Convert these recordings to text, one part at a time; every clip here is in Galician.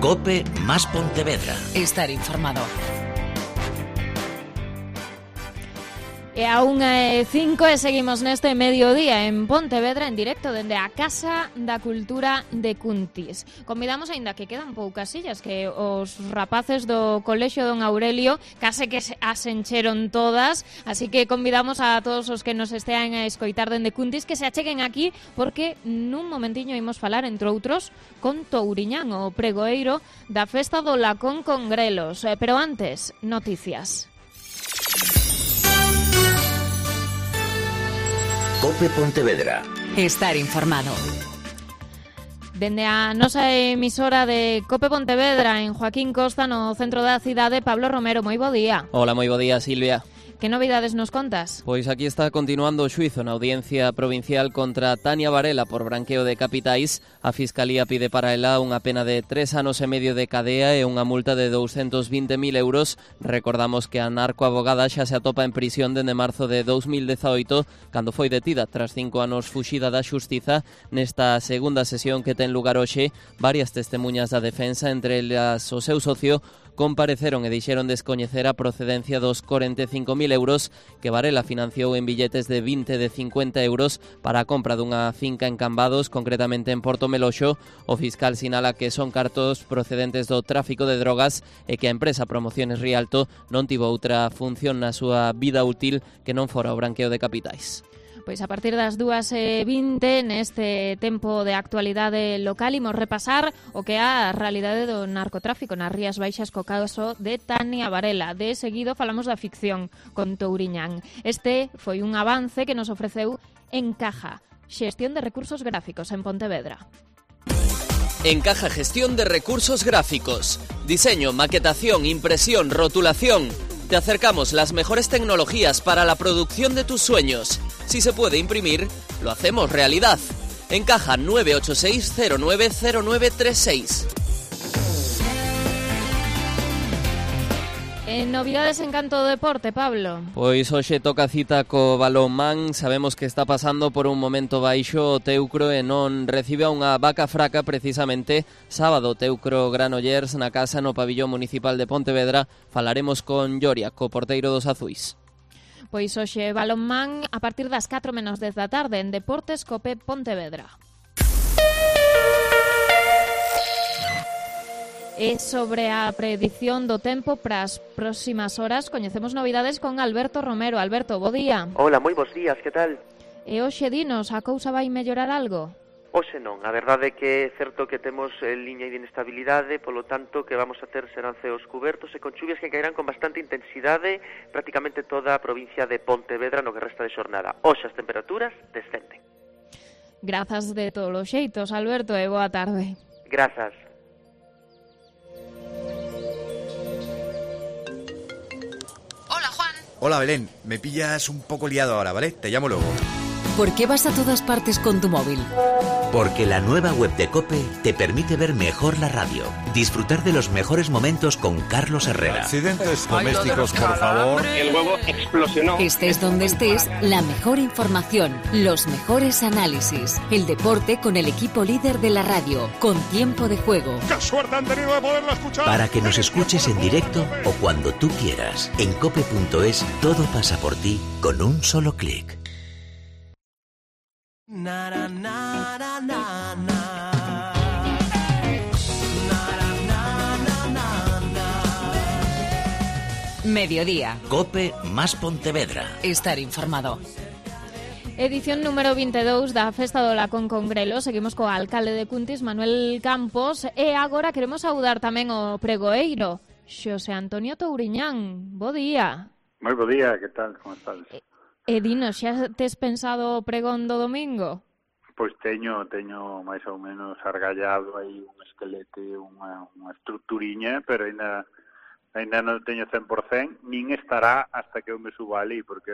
COPE más Pontevedra. Estar informado. E a 1:05 e seguimos neste mediodía en Pontevedra en directo dende a Casa da Cultura de Cuntis. Convidamos, aínda que quedan poucas sillas, que os rapaces do Colexio Don Aurelio case que as encheron todas, así que convidamos a todos os que nos estean a escoitar dende Cuntis que se acheguen aquí, porque nun momentiño imos falar, entre outros, con Touriñán, o pregoeiro da Festa do Lacón con Grelos. Pero antes, noticias. COPE Pontevedra. Estar informado. Dende a nosa emisora de COPE Pontevedra en Joaquín Costa, no centro da cidade, Pablo Romero, moi bo día. Hola, moi bo día, Silvia. Que novidades nos contas? Pois aquí está continuando o xuízo na Audiencia Provincial contra Tania Varela por branqueo de capitais. A Fiscalía pide para ela unha pena de 3 anos e medio de cadea e unha multa de 220.000 euros. Recordamos que a narcoabogada xa se atopa en prisión dende marzo de 2018, cando foi detida tras 5 anos fuxida da xustiza. Nesta segunda sesión que ten lugar hoxe, varias testemunhas da defensa, entre elas o seu socio, compareceron e dixeron descoñecer a procedencia dos 45.000 euros que Varela financiou en billetes de 20 e de 50 euros para a compra dunha finca en Cambados, concretamente en Porto Meloxo. O fiscal sinala que son cartos procedentes do tráfico de drogas e que a empresa Promociones Rialto non tivo outra función na súa vida útil que non fora o branqueo de capitais. Pois a partir das 2:20 neste tempo de actualidade local imos repasar o que é a realidade do narcotráfico nas Rías Baixas co caso de Tania Varela. De seguido falamos da ficción con Touriñán. Este foi un avance que nos ofreceu Encaja, xestión de recursos gráficos en Pontevedra. Encaja Gestión de Recursos Gráficos. Diseño, maquetación, impresión, rotulación. Te acercamos las mejores tecnologías para la producción de tus sueños. Si se puede imprimir, lo hacemos realidad. Encaja 986090936. Novidades en canto do deporte, Pablo. Pois hoxe toca cita co balonmán. Sabemos que está pasando por un momento baixo o Teucro e non recibe a unha vaca fraca precisamente sábado. Teucro Granollers na casa no pabillón municipal de Pontevedra. Falaremos con Lloria, co porteiro dos azuis. Pois hoxe balonmán a partir das 4:10 da tarde en Deportes COPE Pontevedra. E sobre a predición do tempo para as próximas horas coñecemos novidades con Alberto Romero. Alberto, bo día. Hola, moi bons días, que tal? E hoxe dinos, a cousa vai mellorar algo? Hoxe non, a verdade é que é certo que temos liña de inestabilidade, polo tanto que vamos a ter serán ceos cubertos e con chuvias que caerán con bastante intensidade prácticamente toda a provincia de Pontevedra no que resta de xornada. Hoxe as temperaturas descenden. Grazas de todos os xeitos, Alberto, e boa tarde. Grazas. Hola Belén, me pillas un poco liado ahora, ¿vale? Te llamo luego. ¿Por qué vas a todas partes con tu móvil? Porque la nueva web de COPE te permite ver mejor la radio, disfrutar de los mejores momentos con Carlos Herrera. Accidentes domésticos, por favor. El huevo explosionó. Estés donde estés, la mejor información, los mejores análisis, el deporte con el equipo líder de la radio, con tiempo de juego. ¡Qué suerte han tenido de poderla escuchar! Para que nos escuches en directo o cuando tú quieras. En cope.es todo pasa por ti con un solo clic. Mediodía. COPE más Pontevedra. Estar informado. Edición número 22 da Festa do Lacón con Grelos. Seguimos co alcalde de Cuntis, Manuel Campos, e agora queremos saudar tamén o pregoeiro, Xosé Antonio Touriñán. Bo día. Moi bo día, que tal? Como estás? E dinos, xa tes pensado o pregón do domingo? Pois teño máis ou menos argallado aí un esquelete, unha estructuriña, pero ainda non teño 100%, nin estará hasta que eu me suba ali, porque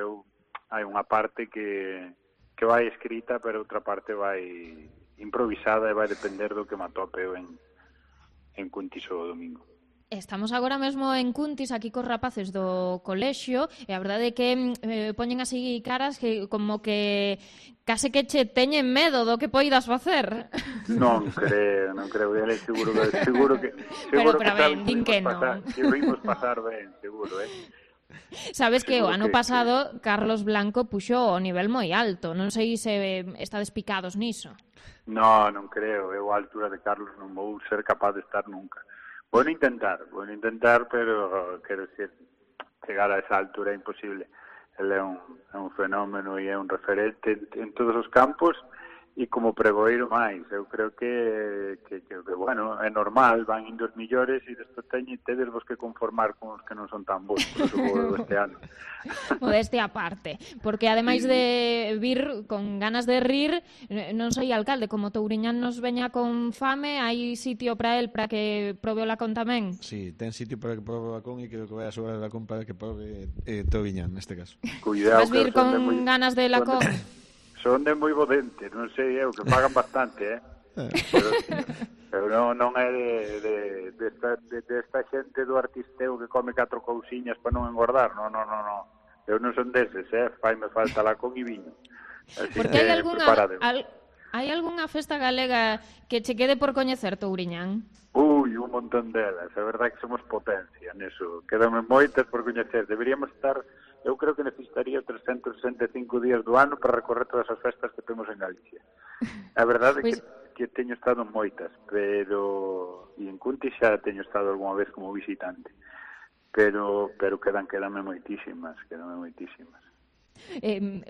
hai unha parte que vai escrita, pero outra parte vai improvisada e vai depender do que me atope eu en Cuntis o domingo. Estamos agora mesmo en Cuntis, aquí cos rapaces do colexio, e a verdade é que poñen así caras que como que case que che teñen medo do que poidas facer. Non creo, ele seguro que pero ben, din que non. Que vimos pasar ben, seguro, Sabes que o ano que pasado Carlos Blanco puxo o nivel moi alto, non sei se estades picados niso. Non creo, eu a altura de Carlos non vou ser capaz de estar nunca. Vou intentar, pero quero decir, chegar a esa altura é imposible. Ele é un fenómeno e é un referente en todos os campos e como pregoeiro máis. Eu creo que bueno, é normal, van indo os millores e despois tedes vos que conformar con os que non son tan bons, por eso vou este ano. Modestia aparte, porque ademais de vir con ganas de rir, non sei alcalde, como Touriñán nos veña con fame, hai sitio para él para que probe o lacón tamén? Sí, ten sitio para que probe o lacón e creo que vai a sobrar o lacón para que probe Touriñán neste caso. Cuidado, vas vir con ganas de lacón? Son de moi bo dente, non sei eu, que pagan bastante, pero non é desta xente do artisteo que come 4 cousiñas para non engordar, non. Eu non son deses, faime falta lacón e viño. Así porque hai algunha festa galega que che quede por coñecer, Touriñán? Un montón delas, é verdade que somos potencia neso, quedame moitas por coñecer, deberíamos estar. Eu creo que necesitaría 365 días do ano para recorrer todas as festas que temos en Galicia. A verdade é que teño estado en moitas, pero e en Cuntis xa teño estado algunha vez como visitante. Pero quedanme moitísimas.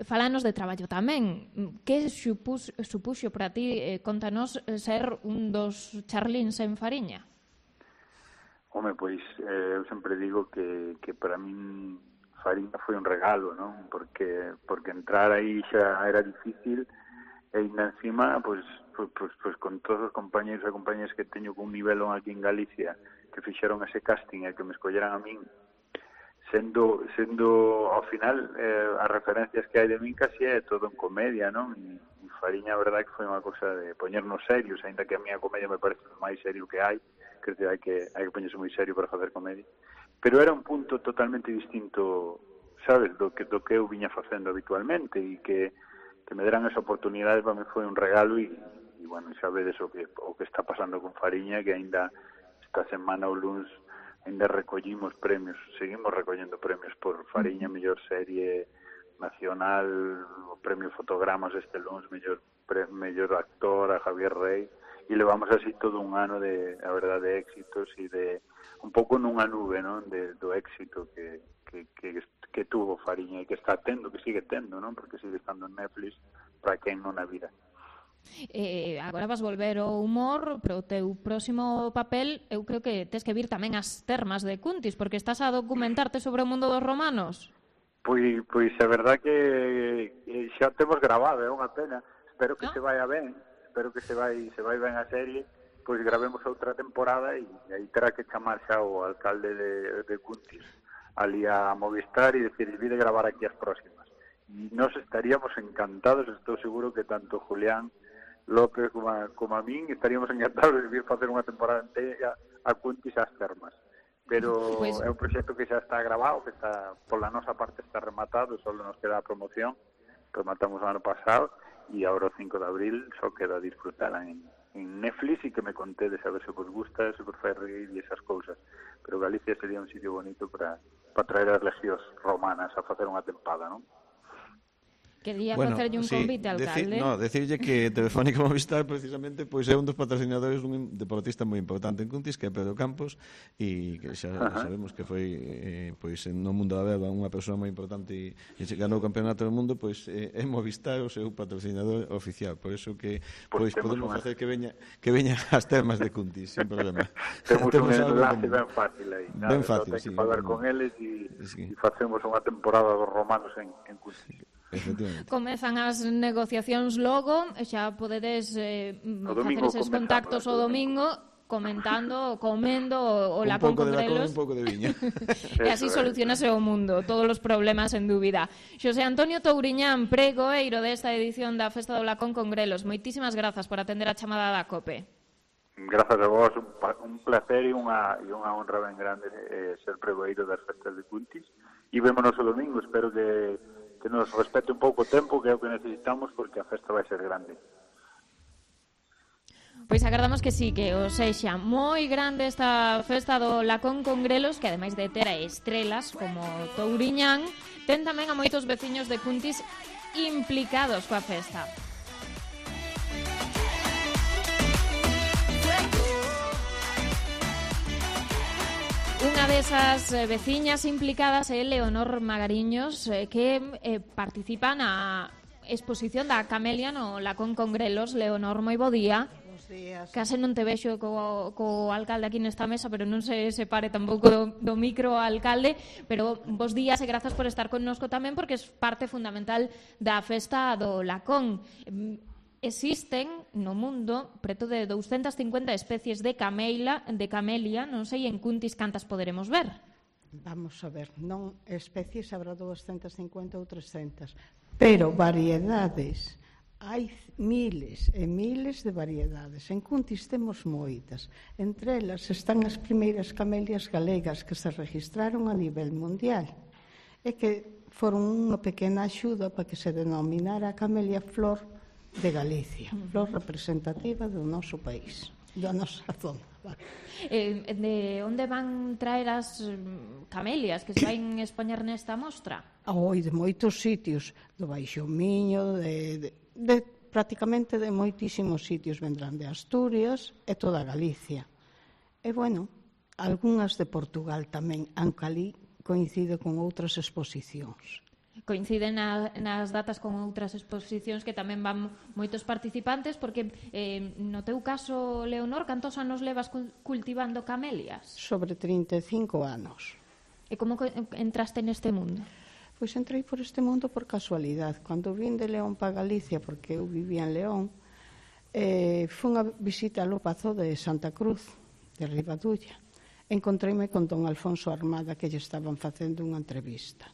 Falanos de traballo tamén. Que supuxo para ti, contanos, ser un dos charlíns en Fariña? Home, pois eu sempre digo que para min Fariña foi un regalo, non? Porque entrar aí xa era difícil e ainda encima, pois con todos os compañeros e compañeras que teño con un nivelón aquí en Galicia que fixeron ese casting e que me escolleran a min, sendo ao final as referencias que hai de min casi é todo en comedia, non? E Fariña, a verdade que foi unha cosa de poñernos serios, ainda que a miña comedia me parece o máis serio que hai, creo que hai que poñerse moi serio para facer comedia. Pero era un punto totalmente distinto, sabes, do que eu viña facendo habitualmente e que me deran esa oportunidade para mí foi un regalo e bueno, xa vedes o que está pasando con Fariña, que ainda esta semana o luns ainda recollimos premios, seguimos recollendo premios por Fariña, mellor serie nacional, o premio Fotogramas este luns, mellor actor a Javier Rey, e levamos así todo un ano de, a verdade, de éxitos e de un pouco nunha nube, non, do éxito que tuvo Fariña e que está tendo, que sigue tendo, non, porque sigue estando en Netflix para quen non a vida. Agora vas volver ao humor, pero o teu próximo papel eu creo que tes que vir tamén as termas de Cuntis, porque estás a documentarte sobre o mundo dos romanos. Pois a verdade que xa temos grabado, é unha pena, espero que se vaya ben, espero que se vai ben a serie, pois gravemos outra temporada e aí terá que chamar xa o alcalde de Cuntis ali a Movistar e decir, vi de gravar aquí as próximas. E nos estaríamos encantados, estou seguro que tanto Julián López como a min estaríamos encantados de vir facer unha temporada inteira a Cuntis ás termas. Pero é un proxecto que xa está grabado, que está pola nosa parte está rematado, só nos queda a promoción, rematamos o ano pasado e agora o 5 de abril só queda disfrutala en Netflix e que me contedes a ver se vos gusta, se vos fai reír e esas cousas. Pero Galicia sería un sitio bonito para traer as legións romanas a facer unha tempada, non? Quería facerlle un convite, alcalde. Decirlle que Telefónica Movistar precisamente pois é un dos patrocinadores dun deportista moi importante en Cuntis, que é Pedro Campos, e que xa sabemos que foi pois no mundo da beba unha persoa moi importante e ganou o campeonato do mundo, pois é Movistar o seu patrocinador oficial, por eso que pois podemos facer que veña as termas de Cuntis sin problema. Temos un enlace ben fácil aí. Ben fácil, sí. Falar con eles e facemos unha temporada dos romanos en Cuntis. Comezan as negociacións logo, xa podedes facer eses contactos o domingo comentando, comendo o lacón con grelos. Un pouco de viño. E así solucionase o mundo, todos os problemas en dúbida. Xosé Antonio Touriñán, pregoeiro desta edición da Festa do Lacón con Grelos, moitísimas grazas por atender a chamada da COPE. Grazas a vos, un placer e unha honra ben grande ser pregoeiro das festas de Cuntis. E vémonos o domingo, espero que nos respete un pouco o tempo, que é o que necesitamos, porque a festa vai ser grande. Pois agardamos que sí, que o sexa moi grande esta festa do Lacón con grelos, que ademais de ter a estrelas como Touriñán, ten tamén a moitos veciños de Cuntis implicados coa festa. Unha desas veciñas implicadas é Leonor Magariños, que participa na exposición da Camelia no Lacón con grelos. Leonor, moi bo día. Días. Case non te vexo co alcalde aquí nesta mesa, pero non se separe tampouco do micro alcalde, pero bos días e grazas por estar connosco tamén, porque é parte fundamental da festa do Lacón. Existen no mundo preto de 250 especies de camelia, non sei en Cuntis cantas poderemos ver. Vamos a ver, non especies habrá 250 ou 300, pero variedades. Hai miles e miles de variedades. En Cuntis temos moitas. Entre elas están as primeiras camelias galegas que se registraron a nivel mundial e que foron unha pequena axuda para que se denominara a camelia flor de Galicia, flor representativa do noso país, da nosa zona. De onde van traer as camelias que se van expoñer nesta mostra? De moitos sitios, do Baixo Miño, prácticamente de moitísimos sitios, vendrán de Asturias e toda Galicia. E, algunhas de Portugal tamén, aunque ali coincide con outras exposicións. Coinciden nas datas con outras exposicións que tamén van moitos participantes, porque no teu caso, Leonor, cantos anos levas cultivando camelias? Sobre 35 anos. E como entraste neste mundo? Pois entrei por este mundo por casualidade. Cando vin de León para Galicia, porque eu vivía en León, fui a visita ao Pazo de Santa Cruz, de Ribadulla. Encontreime con don Alfonso Armada, que lle estaban facendo unha entrevista.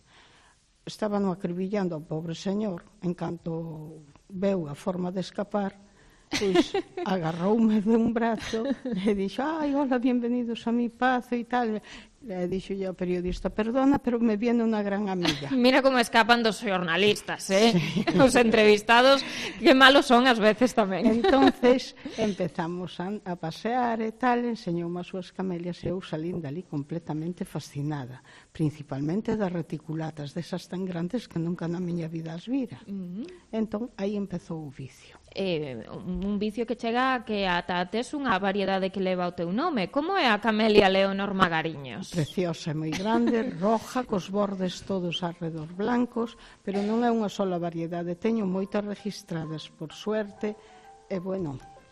Estaban acribillando ao pobre señor, en canto veu a forma de escapar, pois agarroume de un brazo e dixo, hola, bienvenidos a mi pazo e tal. E dixo ao periodista, perdona, pero me viene unha gran amiga. Mira como escapan dos xornalistas, Sí. Os entrevistados, que malos son ás veces tamén. Entonces empezamos a pasear e tal, enseñoume as súas camelias e eu salín dali completamente fascinada, principalmente das reticulatas, desas tan grandes que nunca na miña vida as vira. Entón, aí empezou o vicio. Un vicio que chega a que ata tes unha variedade que leva o teu nome. Como é a camelia Leonor Magariños? Preciosa e moi grande, roja, cos bordes todos alrededor blancos, pero non é unha sola variedade. Teño moitas registradas, por suerte, e,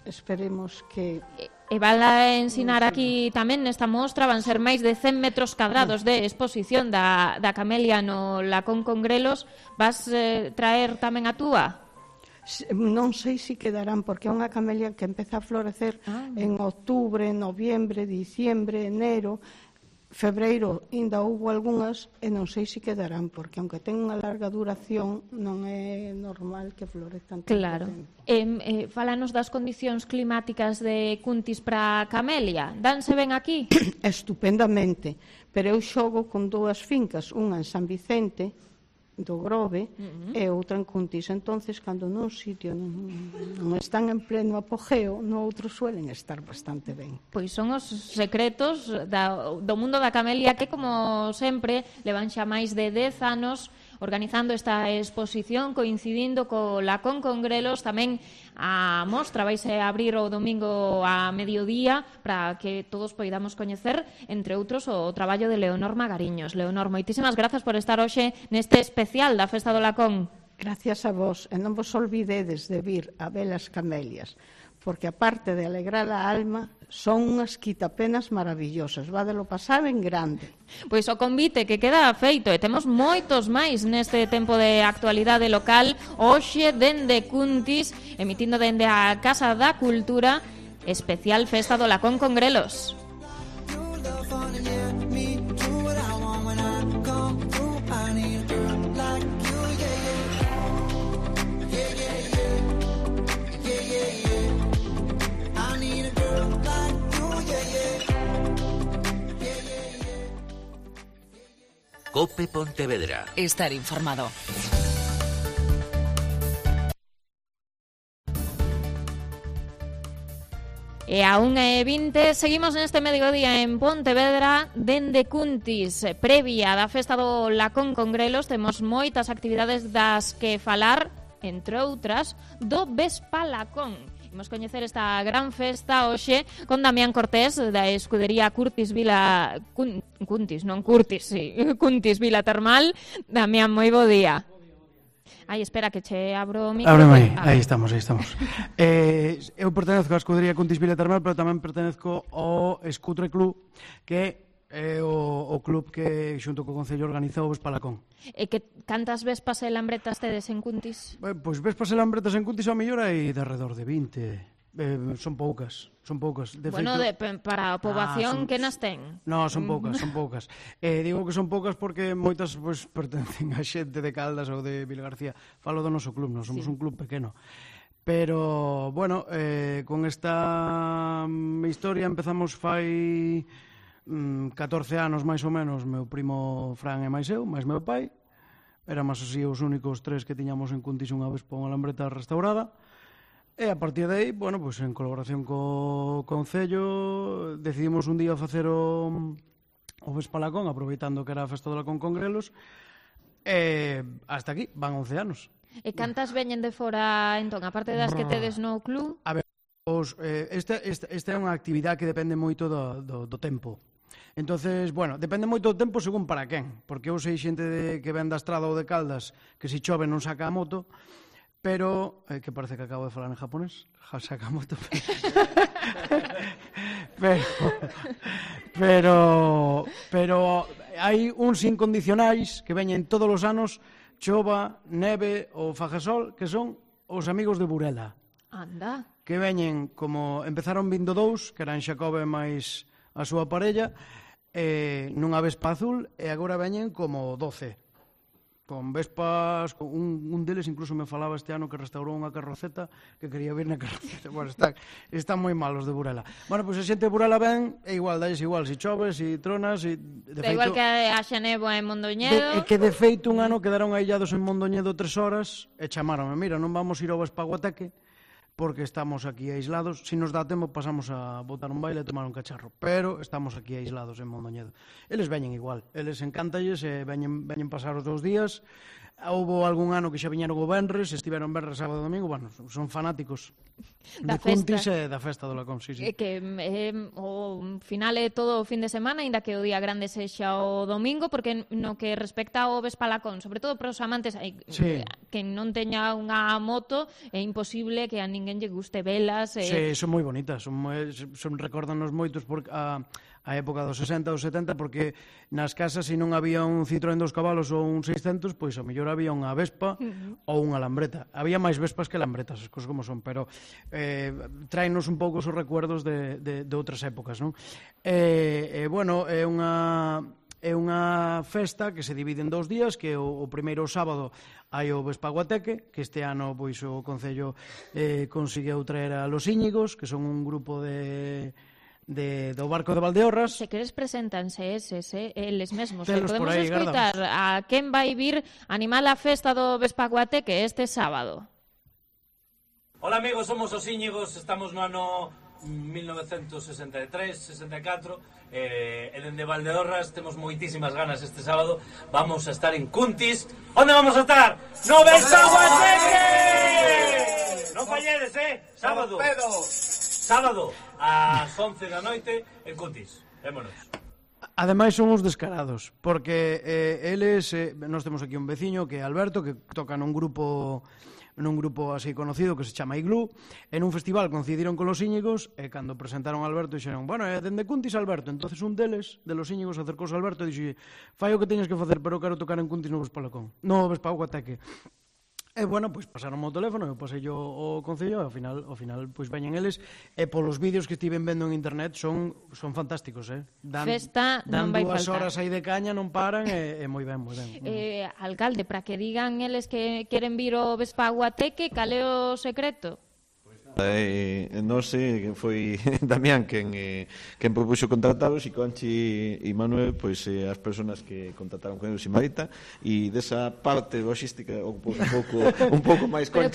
esperemos que... E van a ensinar aquí tamén nesta mostra, van ser máis de 100 metros cadrados de exposición da camelia no Lacón con grelos. Vas traer tamén a túa? Non sei se quedarán, porque é unha camelia que empeza a florecer en outubro, noviembre, diciembre, enero, febreiro. Ainda houbo algunhas e non sei se quedarán, porque aunque ten unha larga duración, non é normal que florezcan tanto tempo. Fálanos das condicións climáticas de Cuntis para a camelia. Danse ben aquí? Estupendamente, pero eu xogo con dúas fincas, unha en San Vicente do Grove e outra en Cuntis. Entonces, cando nun sitio non están en pleno apogeo, no outro suelen estar bastante ben. Pois son os secretos do mundo da camelia, que, como sempre, levan xa máis de 10 anos organizando esta exposición, coincidindo co Lacón con grelos. Tamén a mostra vaise abrir o domingo a mediodía para que todos poidamos coñecer, entre outros, o traballo de Leonor Magariños. Leonor, moitísimas grazas por estar hoxe neste especial da Festa do Lacón. Gracias a vos, e non vos olvidedes de vir a ver as camelias, porque aparte de alegrar a alma, son unhas quitapenas maravillosas. Vadelo pasar en grande. Pois o convite que queda feito, e temos moitos máis neste tempo de actualidade local, hoxe dende Cuntis, emitindo dende a Casa da Cultura, especial Festa do Lacón con grelos. I need a girl COPE Pontevedra. Estar informado. E a 1:20 seguimos neste mediodía en Pontevedra dende Cuntis. Previa da festa do Lacón con Grelos temos moitas actividades das que falar, entre outras, do Vespalacón. Imos coñecer esta gran festa hoxe con Damián Cortés da escudería Curtis Vila... Cuntis Vila Termal. Damián, moi bo día. Ai, espera, que che abro o micro. Ábreme aí, aí estamos. Eu pertenezco á escudería Cuntis Vila Termal, pero tamén pertenezco ao Escutre Club, que é o club que xunto co Concello organizou o Vespalacón. E que cantas vespas e lambretas tedes en Cuntis? Pois vespas e lambretas en Cuntis ao mellor hai de alrededor de 20. Son poucas. De bueno, feito, para a poboación que nas ten? No, son poucas. Digo que son poucas porque moitas pues, pertencen a xente de Caldas ou de Vilagarcía. Falo do noso club, non somos un club pequeno. Pero, bueno, con esta historia empezamos fai 14 anos máis ou menos, meu primo Fran e máis eu, máis meu pai. Éramos así os únicos tres que tiñamos en Cuntis unha vespa unha lambreta restaurada. E a partir de aí, bueno, pues en colaboración co Concello decidimos un día facer o Vespalacón, aproveitando que era a festa do Lacón con Grelos, e hasta aquí, van 11 anos. E cantas veñen de fora, entón, aparte das que tedes no club? A ver, esta é unha actividade que depende moito do tempo. Entonces, bueno, depende moito do tempo según para quen, porque eu sei xente que ven da Estrada ou de Caldas que se chove non saca a moto, pero, que parece que acabo de falar en japonés, Sakamoto, pero hai uns incondicionais que veñen todos os anos, chova, neve ou faga sol, que son os amigos de Burela. Anda. Que veñen, como empezaron vindo dous, que eran Xacobe máis a súa parella, nunha vespa azul, e agora veñen como 12. Con vespas, un deles incluso me falaba este ano que restaurou unha carroceta, que quería vir na carroceta. Bueno, están moi malos de Burela. Bueno, pois a xente de Burela ven, é igual, dais igual, si choves, si tronas, si... Da igual que haxa néboa en Mondoñedo. É que de feito un ano quedaron aillados en Mondoñedo 3 horas e chamaronme, mira, non vamos ir ao Vespaguateque porque estamos aquí aislados. Si nos dá tempo pasamos a botar un baile e tomar un cacharro, pero estamos aquí aislados en Mondoñedo. Eles veñen igual, eles encántalles e veñen pasar os 2 días. Houbo algún ano que xa viñeron o venres, estiveron venres, sábado e domingo, bueno, son fanáticos de Cuntis e da festa do Lacón, sí. Que o final é todo o fin de semana, ainda que o día grande sexa o domingo, porque no que respecta ao Vespalacón, sobre todo para os amantes, que non teña unha moto, é imposible que a ninguén lle guste velas. Sí, son moi bonitas, recórdanos moitos a época dos 60 ou 70, porque nas casas, se non había un Citroën 2 cabalos ou un 600, pois a mellor había unha Vespa ou unha lambreta. Había máis Vespas que lambretas, as cousas como son, pero traenos un pouco os recuerdos de outras épocas, non? Bueno, é unha festa que se divide en 2 días, que o primeiro sábado hai o Vespaguateque, que este ano pois o Concello conseguiu traer a Los Íñigos, que son un grupo do barco de Valdeorras. Se queres preséntanse eles mesmos. Podemos escoitar a quen vai vir animar a festa do Vespaguateque este sábado. Hola amigos, somos os Íñigos, estamos no ano 1963-64 e dende Valdeorras temos moitísimas ganas este sábado. Vamos a estar en Cuntis. Onde vamos a estar? No Vespaguateque! Non falledes, Sábado ás 11 da noite en Cuntis. Vémonos. Ademais son uns descarados, porque eles, nós temos aquí un veciño que é Alberto, que toca nun grupo así conocido que se chama Iglú, en un festival coincidiron con Los Íñigos, e cando presentaron a Alberto dixeron, bueno, dende Cuntis Alberto. Entonces un deles, de Los Íñigos, acercouse a Alberto e dixo, fai o que teñas que facer, pero quero tocar en Cuntis no Vespalacón, no Vespaguateque. E, bueno, pois pasaron o teléfono, eu pasei o Concello, e ao final, pois veñen eles, e polos vídeos que estiven vendo en internet son fantásticos, Festa non vai faltar. Dan 2 horas aí de caña, non paran, e moi ben, moi ben. Alcalde, para que digan eles que queren vir ao Vespaguateque, cal é o secreto? Pois Non sei, foi Damián quen propuxo contrataros, e Conchi e Manuel, pois as persoas que contrataron con eles e Marita, e desa parte logística un pouco máis Conchi,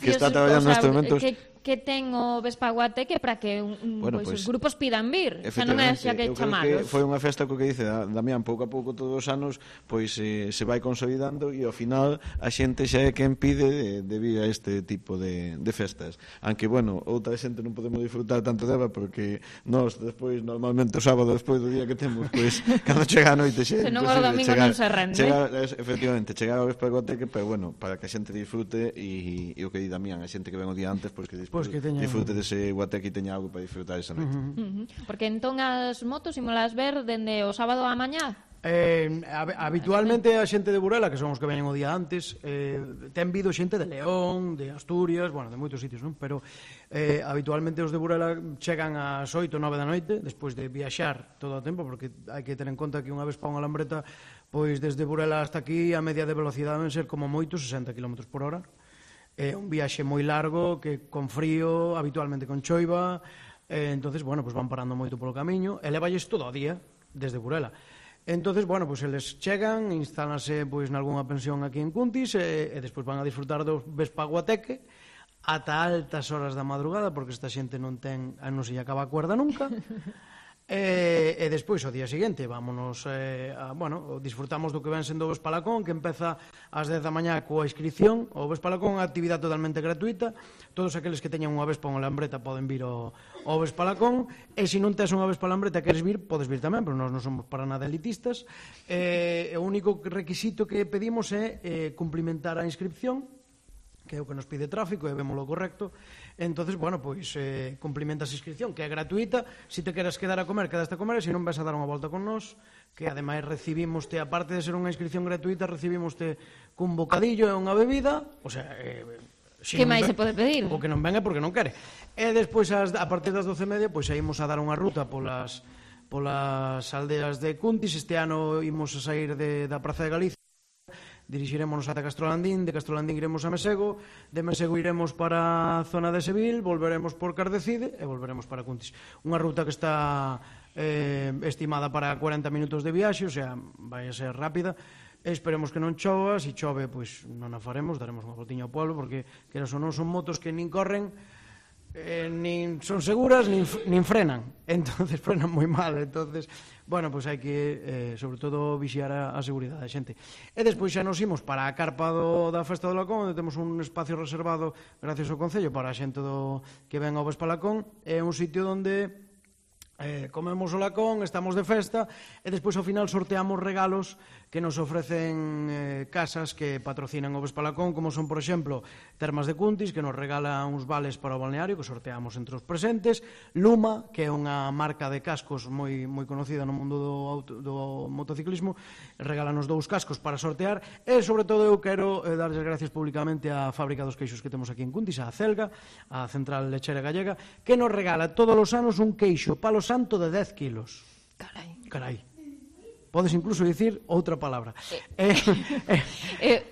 que está traballando nestes momentos. Que ten o Vespaguateque para que os grupos pidan vir, xa non é xa que chamalos. Foi unha festa que dice Damián, pouco a pouco todos os anos pois se vai consolidando, e ao final a xente xa é quen pide de vir a este tipo de festas. Aunque, bueno, outra xente non podemos disfrutar tanto dela, porque nós despois, normalmente o sábado despois do día que temos, pois cando chega a noite xa é imposible domingo non se rende. Efectivamente, chegar ao Vespaguateque, pero bueno, para que a xente disfrute, e o que di Damián, a xente que ven o día antes, pois que disfrute dese guateque e teña algo para disfrutar esa noite. Porque entón as motos imolas ver dende o sábado á mañá? Habitualmente a xente de Burela, que son os que veñen o día antes, ten vido xente de León, de Asturias, bueno, de moitos sitios, non? Pero habitualmente os de Burela chegan ás 8 ou 9 da noite, despois de viaxar todo o tempo, porque hai que ter en conta que unha vez pa unha lambreta, pois desde Burela hasta aquí a media de velocidade deben ser como moito 60 km/h. É un viaxe moi largo, que con frío, habitualmente con choiva, entonces, bueno, pues van parando moito polo camiño, e levalles todo o día, desde Burela. Entonces, bueno, pues eles chegan, instálanse pois nalgúna pensión aquí en Cuntis, e despois van a disfrutar do Vespaguateque ata altas horas da madrugada, porque esta xente non se lle acaba a cuerda nunca. E despois, ao día seguinte, vámonos disfrutamos do que ven sendo o Vespalacón, que empeza ás 10 da mañá coa inscripción. O Vespalacón é unha actividade totalmente gratuita. Todos aqueles que teñan unha Vespa ou unha lambreta poden vir ao Vespalacón, e se non tes unha Vespa lambreta e queres vir, podes vir tamén, pero nós non somos para nada elitistas. O único requisito que pedimos é cumplimentar a inscripción, que é o que nos pide tráfico, e vémolo correcto. Entonces, bueno, pois cumplimentas a inscripción, que é gratuita. Se te queres quedar a comer, quedaste a comer, e se non vas a dar unha volta con nós, que ademais recibimoste, aparte de ser unha inscripción gratuita, recibimoste cun bocadillo e unha bebida, o sea, que máis se pode pedir? O que non ven é porque non quere. E despois, a partir das 12:30, pois saímos a dar unha ruta polas aldeas de Cuntis. Este ano imos a sair da Praza de Galicia, dirixiremos ata Castrolandín, de Castrolandín iremos a Mesego, de Mesego iremos para a zona de Seville, volveremos por Cardecide e volveremos para Cuntis. Unha ruta que está estimada para 40 minutos de viaxe, o sea, vai a ser rápida. Esperemos que non chova, se chove, pois non a faremos, daremos unha voltiña ao pueblo, porque queras ou non son motos que nin corren, nin son seguras, nin frenan. Entonces frenan moi mal. Entonces, bueno, pois hai que, sobre todo, vixiar a seguridade da xente. E despois xa nos imos para a carpa da Festa do Lacón, onde temos un espacio reservado, gracias ao Concello, para a xente que ven ao Vespalacón. É un sitio onde comemos o lacón, estamos de festa, e despois ao final sorteamos regalos que nos ofrecen casas que patrocinan o Vespalacón, como son, por exemplo, Termas de Cuntis, que nos regala uns vales para o balneario, que sorteamos entre os presentes. Luma, que é unha marca de cascos moi conocida no mundo do motociclismo, regálanos 2 cascos para sortear. E, sobre todo, eu quero darles gracias públicamente á Fábrica dos Queixos que temos aquí en Cuntis, a Celga, a Central Lechera Gallega, que nos regala todos os anos un queixo palo santo de 10 kilos. Carai. Podes incluso dicir outra palabra.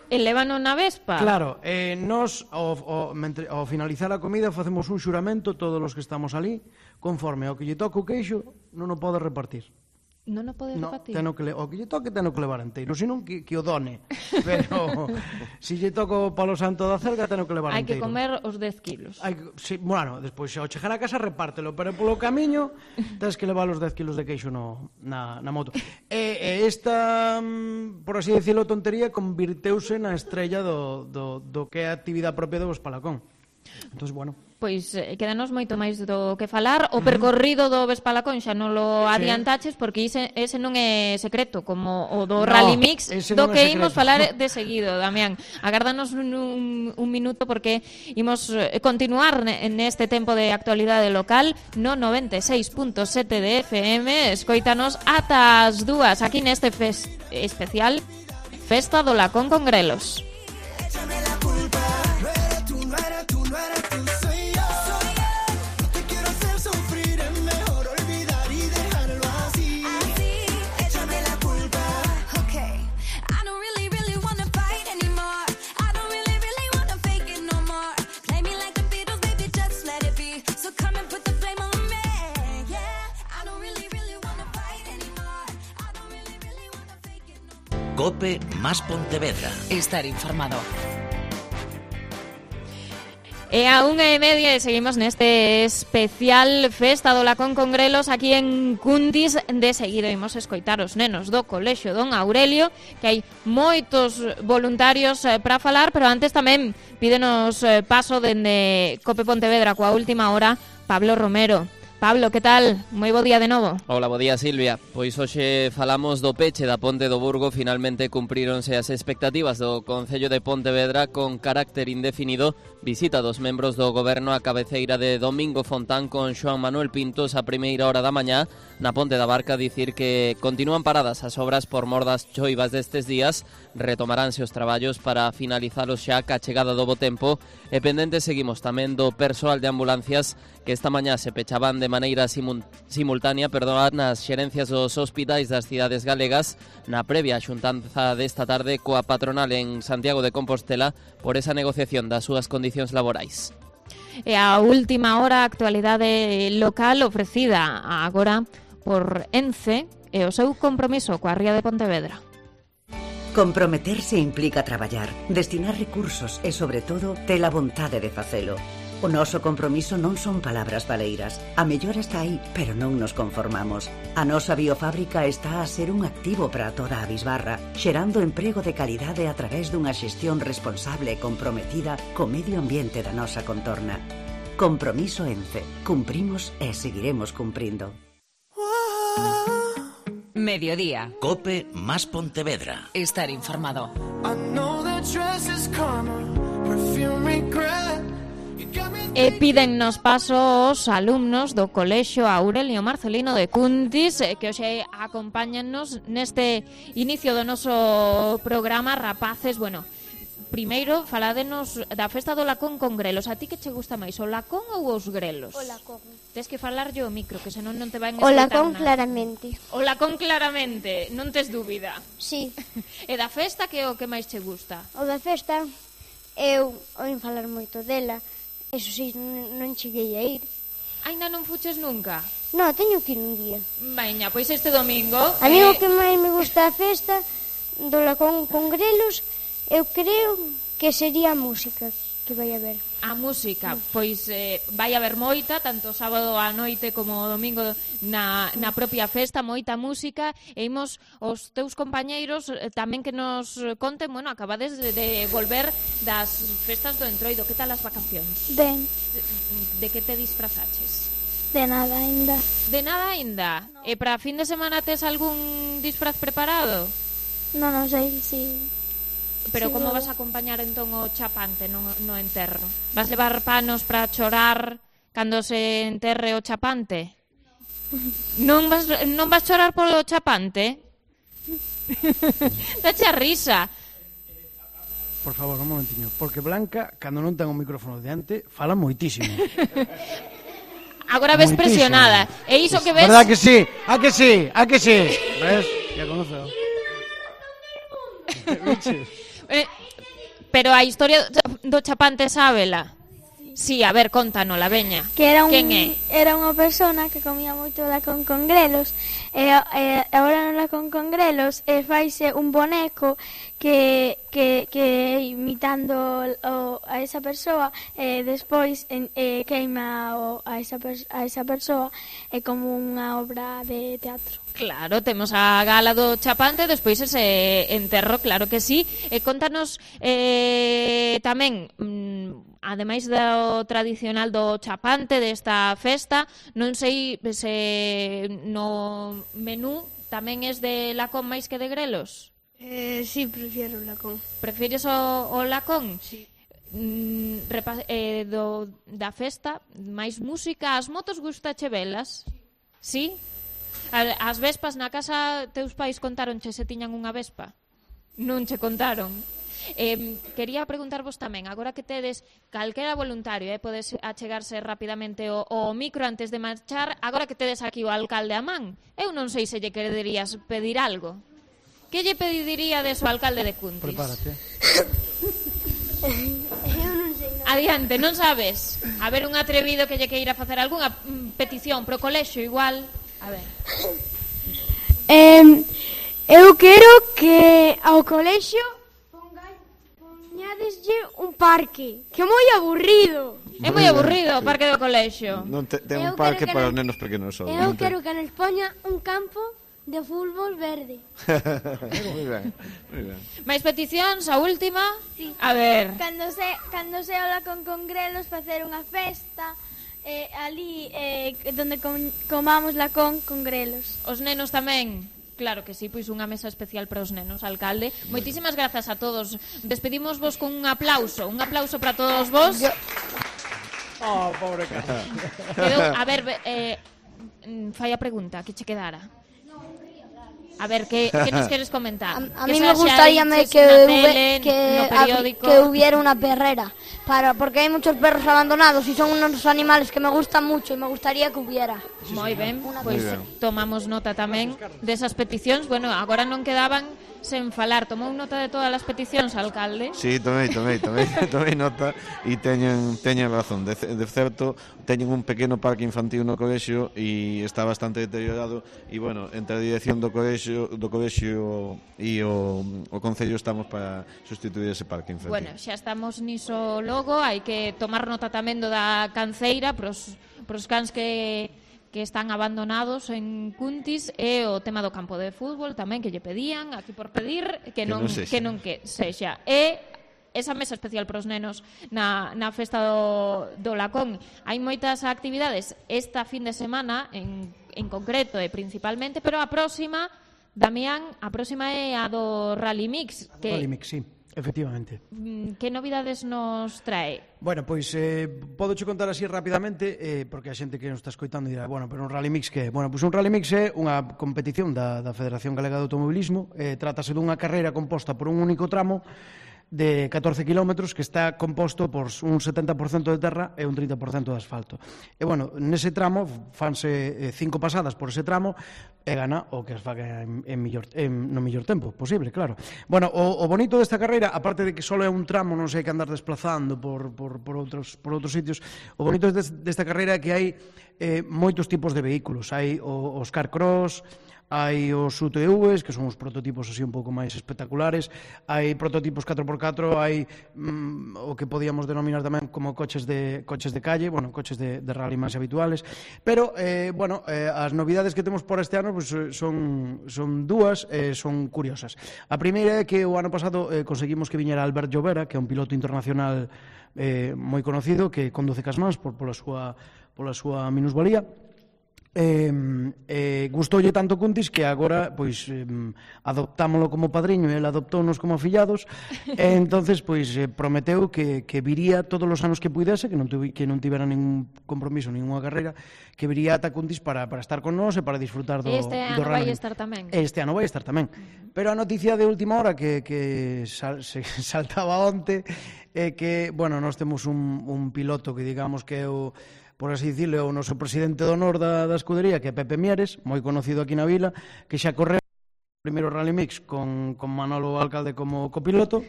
Elévano na Vespa? Claro, nos ao finalizar a comida facemos un xuramento todos os que estamos ali, conforme ao que lle toca o queixo non o pode repartir. Non o podes repartir? O que lle toque teno que levar enteiro, senón que o done. Pero se lle toco palo santo da Celga teno que levar enteiro. Hai que comer os 10 kilos. Bueno, despois ao chegar a casa repártelo, pero polo camiño tens que levar os 10 kilos de queixo na moto. E esta, por así decirlo, tontería convirteuse na estrella do que é a actividade propia do Vespalacón. Entón, bueno, pois quedanos moito máis do que falar. O percorrido do Vespalacón xa non lo adiantaches, porque ese non é secreto, como o do Rally Mix, do que imos falar de seguido, Damián. Agárdanos un minuto, porque imos continuar neste tempo de actualidade local no 96.7 de FM. Escoítanos ata as 2 aquí neste especial Festa do Lacón con Grelos. COPE más Pontevedra. Estar informado. E a 1:30 seguimos neste especial Festa do Lacón con Grelos aquí en Cuntis. De seguido imos escoitar os nenos do Colexio Don Aurelio, que hai moitos voluntarios para falar, pero antes tamén pídenos paso dende Cope Pontevedra coa última hora Pablo Romero. Pablo, que tal? Moi bo día de novo. Hola, bo día, Silvia. Pois hoxe falamos do peche da Ponte do Burgo. Finalmente cumpríronse as expectativas do Concello de Pontevedra con carácter indefinido. Visita dos membros do goberno a cabeceira de Domingo Fontán con Xoán Manuel Pintos a primeira hora da mañá na Ponte da Barca. Dicir que continúan paradas as obras por mor das choivas destes días. Retomaránse os traballos para finalizalos xa ca chegada do bo tempo. E pendentes seguimos tamén do persoal de ambulancias que esta mañá se pechaban de maneira simultánea nas xerencias dos hospitais das cidades galegas na previa xuntanza desta tarde coa patronal en Santiago de Compostela por esa negociación das súas condicións laborais. E a última hora, a actualidade local ofrecida agora por ENCE e o seu compromiso coa ría de Pontevedra. Comprometerse implica traballar, destinar recursos e, sobre todo, ter a vontade de facelo. O noso compromiso non son palabras baleiras. A mellora está aí, pero non nos conformamos. A nosa biofábrica está a ser un activo para toda a bisbarra, xerando emprego de calidade a través dunha xestión responsable e comprometida co medio ambiente da nosa contorna. Compromiso ENCE. Cumprimos e seguiremos cumprindo. Mediodía. COPE más Pontevedra. Estar informado. E pídennos paso os alumnos do Colexio Aurelio Marcelino de Cuntis que hoxe acompáñannos neste inicio do noso programa. Rapaces, bueno, primeiro faládenos da Festa do Lacón con Grelos. A ti que che gusta máis, o lacón ou os grelos? O lacón. Tes que falar yo o micro, que senón non te van O lacón claramente. O lacón claramente, non tes dúbida. Sí. E da festa, que é o que máis che gusta? O da festa, eu oín falar moito dela. Eso sí, non cheguei a ir. Ainda non fuches nunca? No, teño que ir un día. Veña, pois este domingo... A mí o que máis me gusta a festa do lacón con grelos, eu creo que sería a música que vai haber. A música, pois vai haber moita, tanto sábado á noite como domingo na propia festa, moita música, e imos os teus compañeiros tamén que nos conten, bueno, acabades de volver das festas do Entroido, que tal as vacacións? Ben. De que te disfrazaches? De nada ainda. De nada ainda? No. E para fin de semana tes algún disfraz preparado? Non sei, si... Pero como vas a acompañar entón o chapante no enterro? Vas levar panos para chorar cando se enterre o chapante? Non vas chorar polo chapante? Dache a risa. Por favor, un momentiño, porque Blanca, cando non ten o micrófono diante, fala moitísimo. Agora ves presionada. E iso que ves... Verdad que sí? A que sí? A que sí? Ves? Ya conozco. Pero a historia do chapante sábela? Sí, a ver, contánola, veña. Que era quen é? Era unha persona que comía moito lacón con grelos e agora no lacón con grelos faise un boneco que imitando a esa persoa e despois queima a esa persoa é como unha obra de teatro. Claro, temos a gala do chapante, despois ese enterro, claro que sí. E contanos tamén, ademais do tradicional do chapante desta festa, non sei se no menú tamén es de lacón máis que de grelos. Sí, prefiero o lacón. Prefires o lacón? Sí. Da festa, máis música, as motos gustache velas? Sí? As vespas na casa teus pais contaronche se tiñan unha vespa? Non che contaron? Quería preguntarvos tamén, agora que tedes calquera voluntario, podes achegarse rapidamente o micro antes de marchar, agora que tedes aquí o alcalde a man, eu non sei se lle quererías pedir algo. Que lle pediríades ao alcalde de Cuntis? Prepárate. Eu non sei nada. Adiante, non sabes? A ver, un atrevido que lle queira facer algunha petición pro colexio igual. A ver. Eu quero que ao colexio poñadeslle un parque, que é moi aburrido. É moi aburrido o parque do colexio. Non ten un parque para os nenos pequenos só. Eu quero que nos poña un campo de fútbol verde. Moi ben, moi ben. Mais peticións, a última? Sí. A ver. Cando se habla con Grelos facer unha festa ali donde comamos la con Grelos. Os nenos tamén. Claro que sí, pois unha mesa especial para os nenos, alcalde. Moitísimas grazas a todos. Despedimos vos con un aplauso para todos vos. Oh, pobre cara. A ver, fai a pregunta, que che quedara? A ver, que nos queres comentar? A mí me gustaría que hubiera una perrera, porque hay muchos perros abandonados y son unos animales que me gustan mucho y me gustaría que hubiera. Moi ben, pois tomamos nota tamén desas peticións. Bueno, agora non quedaban sen falar. Tomou nota de todas as peticións, alcalde? Sí, tomei nota e teñen razón. De certo, teñen un pequeno parque infantil no colexio e está bastante deteriorado e, bueno, entre a dirección do colexio e o Concello estamos para sustituir ese parque infantil. Bueno, xa estamos niso logo, hai que tomar nota tamén do da canceira pros cans que están abandonados en Cuntis, e o tema do campo de fútbol tamén que lle pedían, aquí por pedir que non sexa. E esa mesa especial para os nenos na festa do Lacón. Hai moitas actividades esta fin de semana en concreto e principalmente, pero a próxima, Damián, é a do Rally Mix. Rally Mix, sí. Efectivamente. Que novidades nos trae? Bueno, pois podo che contar así rapidamente, porque a xente que nos está escoitando dirá, bueno, pero un Rally Mix que é? Bueno, pois un Rally Mix é unha competición da Federación Galega de Automobilismo. Trátase dunha carreira composta por un único tramo de 14 kilómetros que está composto por un 70% de terra e un 30% de asfalto. E, bueno, nese tramo fanse 5 pasadas por ese tramo e gana o que as faga no mellor tempo posible, claro. Bueno, o bonito desta carreira, aparte de que só é un tramo, non sei que andar desplazando por outros sitios, o bonito desta carreira é que hai moitos tipos de vehículos. Hai os car cross, hai os UTVs, que son os prototipos así un pouco máis espectaculares, hai prototipos 4x4, hai o que podíamos denominar tamén como coches de calle, bueno, coches de rally máis habituales, pero, bueno, as novidades que temos por este ano pues, son dúas, son curiosas. A primeira é que o ano pasado conseguimos que viñera Albert Llovera, que é un piloto internacional moi conocido, que conduce cas mans pola súa minusvalía. Gustoulle tanto Cuntis que agora pois adoptámolo como padriño e ele adoptounos como afillados e entonces pois prometeu que viría todos os anos que puidese, que non tivera ningún compromiso, ninguna carreira, que viría ata Cuntis para estar con nós e para disfrutar do Este ano vai estar tamén. Este ano vai estar tamén. Pero a noticia de última hora que saltaba onte é que, bueno, nós temos un piloto que digamos que é o, por así dicirle, o noso presidente de honor da escudería, que é Pepe Mieres, moi conocido aquí na vila, que xa correu o primeiro Rally Mix con Manolo Alcalde como copiloto,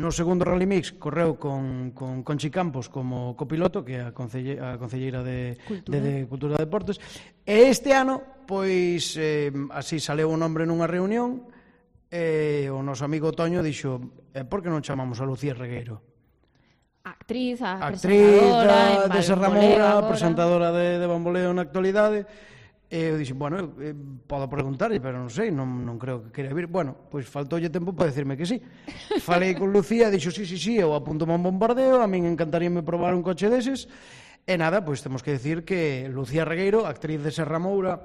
no segundo Rally Mix correu con Conchi Campos como copiloto, que é a concelleira de Cultura e Deportes, e este ano, pois, así saleu o nombre nunha reunión, e o noso amigo Toño dixo, por que non chamamos a Lucía Regueiro? Actriz presentadora de Serra Moura, presentadora de Bamboleo na actualidade. E eu dixo, bueno, podo preguntarlle, pero non sei, non creo que queira vir. Bueno, pois faltoulle tempo para decirme que sí. Falei con Lucía, dixo, sí, eu apunto un bombardeo, a min encantaríame probar un coche deses. E nada, pois temos que decir que Lucía Regueiro, actriz de Serra Moura,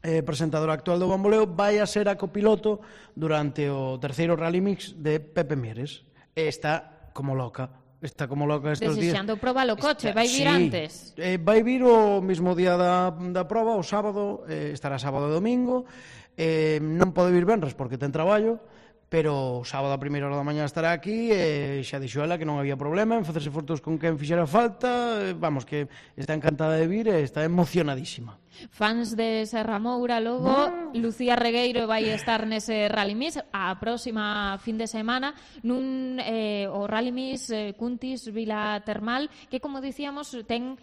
presentadora actual do Bamboleo, vai a ser a copiloto durante o terceiro Rally Mix de Pepe Mieres. E está como loca estes días. Desexando probar o coche, vai vir antes? Vai vir o mesmo día da proba, o sábado, estará sábado e domingo, non pode vir venres porque ten traballo, pero o sábado a primeira hora da mañá estará aquí e xa dixo ela que non había problema en facerse fotos con quen fixera falta, vamos, que está encantada de vir e está emocionadísima. Fans de Serra Moura, logo Lucía Regueiro vai estar nese Rally Mix a próxima fin de semana o Rally Mix Cuntis Vila Termal, que como dicíamos ten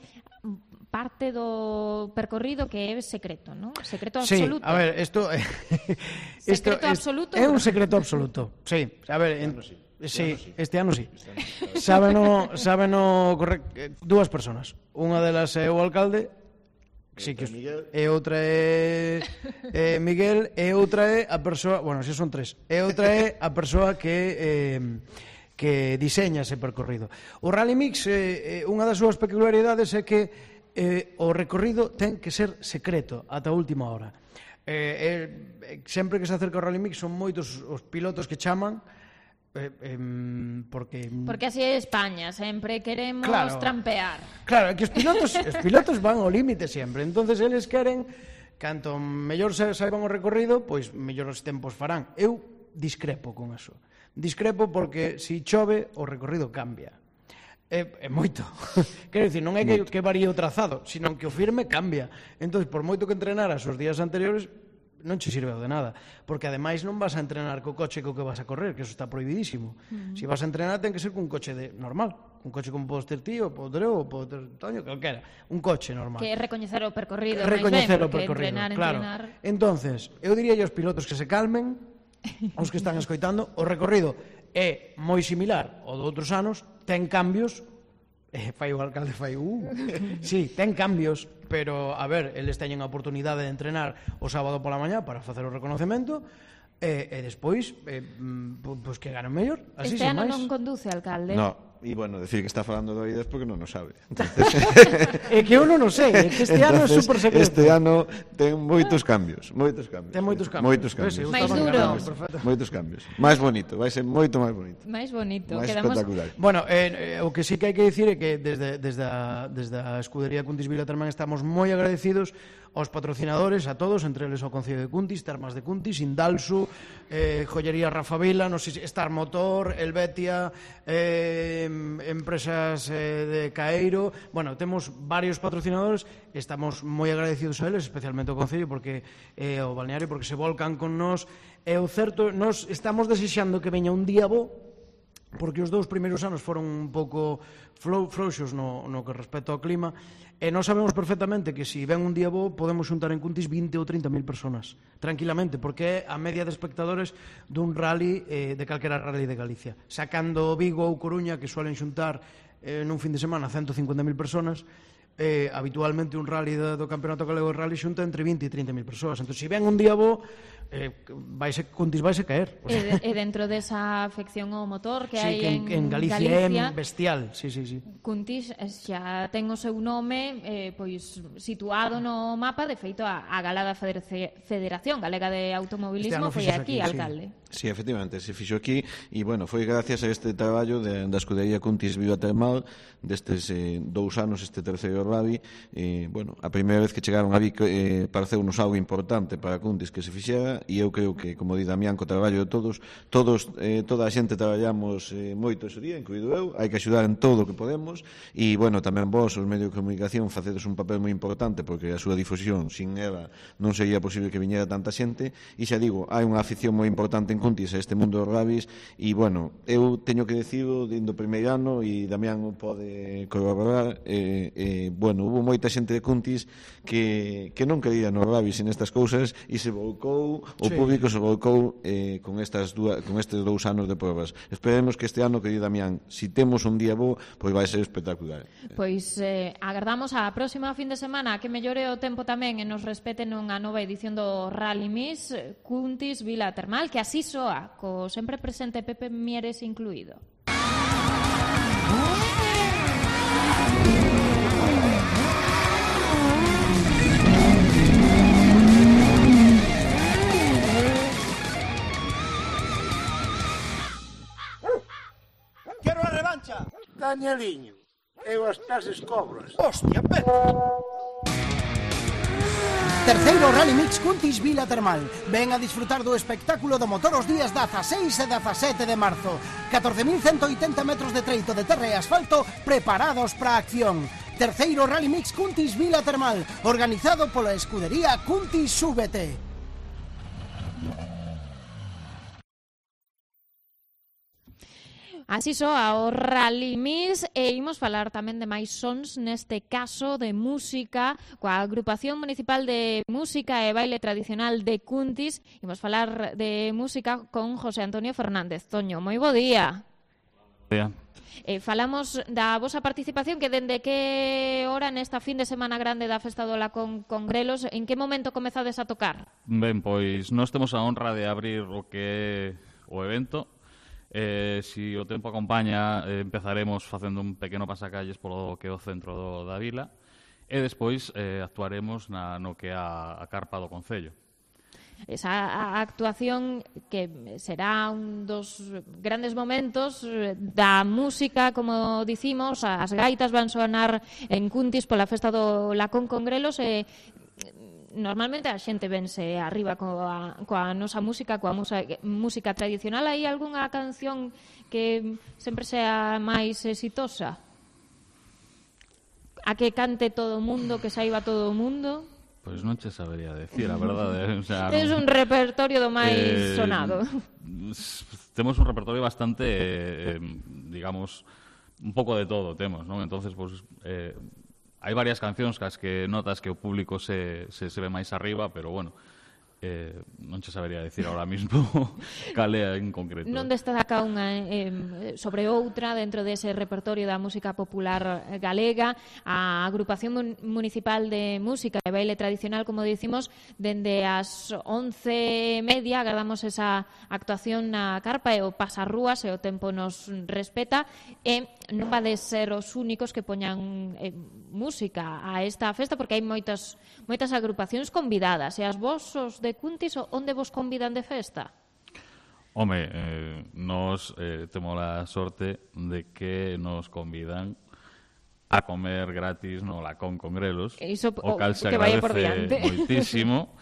parte do percorrido que é secreto, non? Secreto absoluto. Sí, a ver, Secreto absoluto? É un secreto absoluto, sí. A ver, sí, este ano sí. Sábeno dúas persoas. Unha delas é o alcalde, e outra é Miguel, e outra é a persoa, bueno, xa son tres, e outra é a persoa que diseña ese percorrido. O Rally Mix, unha das súas peculiaridades é que o recorrido ten que ser secreto ata a última hora. Sempre que se acerca o Rally Mix son moitos os pilotos que chaman, porque así é España, sempre queremos trampear. Claro, é que os pilotos van ao límite sempre, entonces eles queren, canto mellor saiban o recorrido, pois mellor os tempos farán. Eu discrepo con eso. Discrepo porque se chove o recorrido cambia. É moito. Quero dicir, non é que varíe o trazado, sino que o firme cambia. Entón, por moito que entrenaras os días anteriores, non che sirve de nada, porque ademais non vas a entrenar co coche co que vas a correr, que eso está prohibidísimo. Se vas a entrenar ten que ser cun coche normal, un coche como podes ter ti, ou podes ter eu, ou podes ter Toño, calquera, un coche normal. Que é recoñecer o percorrido, recoñecer o percorrido, claro. Entonces, eu diría aos pilotos que se calmen, os que están escoitando, o recorrido é moi similar ao de outros anos, ten cambios, fai o alcalde, sí, ten cambios, pero, a ver, eles teñen a oportunidade de entrenar o sábado pola mañá para facer o reconocemento, e despois, pois que ganen mellor, así este sen ano máis. non conduce, alcalde. No. E, bueno, decir que está falando de oídas porque non o sabe. É que eu non o sei, é que este ano é super secreto. Este ano ten moitos cambios. Ten moitos cambios. Máis duro. Moitos cambios. Máis bonito, vai ser moito máis bonito. Máis bonito. Máis espectacular. Bueno, o que sí que hai que dicir é que desde a escudería Cuntis Vila Termán estamos moi agradecidos aos patrocinadores, a todos, entre eles ao Concello de Cuntis, Termas de Cuntis, Indalsu, Joyería Rafa Vila, non sei, Star Motor, Helvetia, empresas de Caeiro. Bueno, temos varios patrocinadores, estamos moi agradecidos a eles, especialmente ao Concello porque o balneario, porque se volcan con nós. E o certo, nós estamos desexando que veña un día bo, porque os dous primeiros anos foron un pouco frouxos no que respecta ao clima, e nós sabemos perfectamente que se ven un día bo podemos xuntar en Cuntis 20 ou 30.000 personas, tranquilamente, porque é a media de espectadores dun rally, de calquera rally de Galicia. Sacando Vigo ou Coruña, que suelen xuntar nun fin de semana 150.000 personas, habitualmente un rally do Campeonato Galego de Rally xunta entre 20 e 30.000 persoas. Entón, se ven un día bo, Cuntis vaise caer. E dentro desa afección ao motor que hai en Galicia é bestial. Sí. Cuntis xa ten o seu nome pois situado no mapa, de feito a gala da Federación Galega de Automobilismo foi aquí, alcalde. Sí, efectivamente, se fixo aquí e, bueno, foi gracias a este traballo da escudería Cuntis Vila Termal destes 2 anos, este terceiro rally. Bueno, a primeira vez que chegaron a Vic pareceunos algo importante para Cuntis que se fixera, e eu creo que, como di Damián, co traballo de toda a xente traballamos moito ese día, incluído eu, hai que axudar en todo o que podemos, e, bueno, tamén vos, os medios de comunicación, facedes un papel moi importante, porque a súa difusión, sin ela, non sería posible que viñera tanta xente, e xa digo, hai unha afición moi importante en Cuntis a este mundo dos rallies, e, bueno, eu teño que decirlo, dindo primeiro ano, e Damián pode corroborar, bueno, hubo moita xente de Cuntis que non quería nos rallies en estas cousas, e se volcou, o público se volcou con estes 2 anos de provas. Esperemos que este ano, que di Damián, si temos un día bo, pois vai ser espectacular. Pois agardamos a próxima fin de semana que mellore o tempo tamén e nos respeten unha nova edición do Rally Mix Cuntis Vila Termal, que así soa, co sempre presente Pepe Mieres incluído. Quero a revancha. Danieliño, eu as clases cobras. Hostia, Pepe. Terceiro Rally Mix Cuntis Vila Termal. Ven a disfrutar do espectáculo do motor os días 16 e 17 de marzo. 14.180 metros de treito de terra e asfalto preparados para a acción. Terceiro Rally Mix Cuntis Vila Termal, organizado pola escudería Cuntis Súbete. Así soa o Rally Mix e imos falar tamén de máis sons, neste caso de música, coa Agrupación Municipal de Música e Baile Tradicional de Cuntis. Imos falar de música con José Antonio Fernández. Toño, moi bo día. Bo día. Falamos da vosa participación, que dende que hora nesta fin de semana grande da Festa do Lacón con Grelos, en que momento comezades a tocar? Ben, pois nós temos a honra de abrir o que é o evento. Si o tempo acompaña, empezaremos facendo un pequeno pasacalles polo que é o centro da vila e despois actuaremos no que é a carpa do Concello. Esa actuación que será un dos grandes momentos da música, como dicimos, as gaitas van sonar en Cuntis pola Festa do Lacón con Grelos e normalmente a xente vense arriba coa nosa música, coa música tradicional. Hai algunha canción que sempre sea máis exitosa? A que cante todo o mundo, que saiba todo o mundo? Pois non che sabería decir, a verdade. O sea, tens un repertorio do máis sonado. Temos un repertorio bastante, digamos, un pouco de todo temos, non? Entonces, pois... hai varias cancións cas que notas que o público se ve máis arriba, pero, bueno, non che sabería decir ahora mismo cal é en concreto. Non destaca unha sobre outra dentro dese repertorio da música popular galega. A Agrupación Municipal de Música e Baile Tradicional, como dicimos, dende as 11:30 agardamos esa actuación na carpa e o pasarrúas, e o tempo nos respeta, e non vades ser os únicos que poñan música a esta festa, porque hai moitas agrupacións convidadas, e as vosos de Cuntis onde vos convidan de festa? Home, nos temos a sorte de que nos convidan a comer gratis no Lacón con Grelos, o cal se agradece moitísimo,